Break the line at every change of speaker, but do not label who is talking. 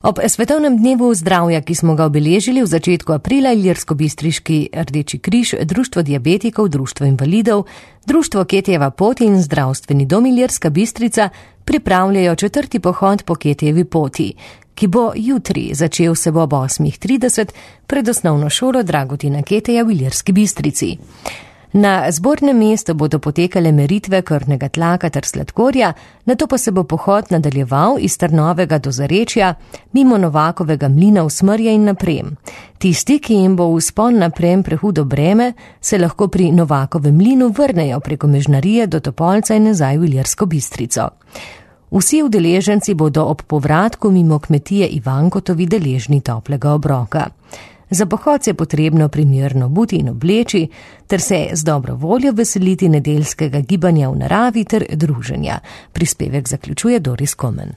Ob svetovnem dnevu zdravja, ki smo ga obeležili v začetku aprila, Ilirskobistriški Rdeči križ, Društvo diabetikov, Društvo invalidov, Društvo Ketijeva pot in Zdravstveni dom Ilirska Bistrica pripravljajo 4. pohod po Ketijevi poti, ki bo jutri začel se ob 8:30 pred osnovno šolo Dragutina Ketija v Ilirski Bistrici. Na zbornem mestu bodo potekale meritve krvnega tlaka ter sladkorja, nato pa se bo pohod nadaljeval iz Trnovega do Zarečja, mimo Novakovega mlina v Smrje in naprem. Tisti, ki jim bo vzpon naprem prehudo breme, se lahko pri Novakovem mlinu vrnejo preko Mežnarije do Topolca in nazaj v Ilirsko Bistrico. Vsi udeleženci bodo ob povratku mimo kmetije Ivankotovi deležni toplega obroka. Za pohod je potrebno primerno obuti in obleči, ter se z dobro voljo veseliti nedeljskega gibanja v naravi ter druženja. Prispevek zaključuje Doris Komen.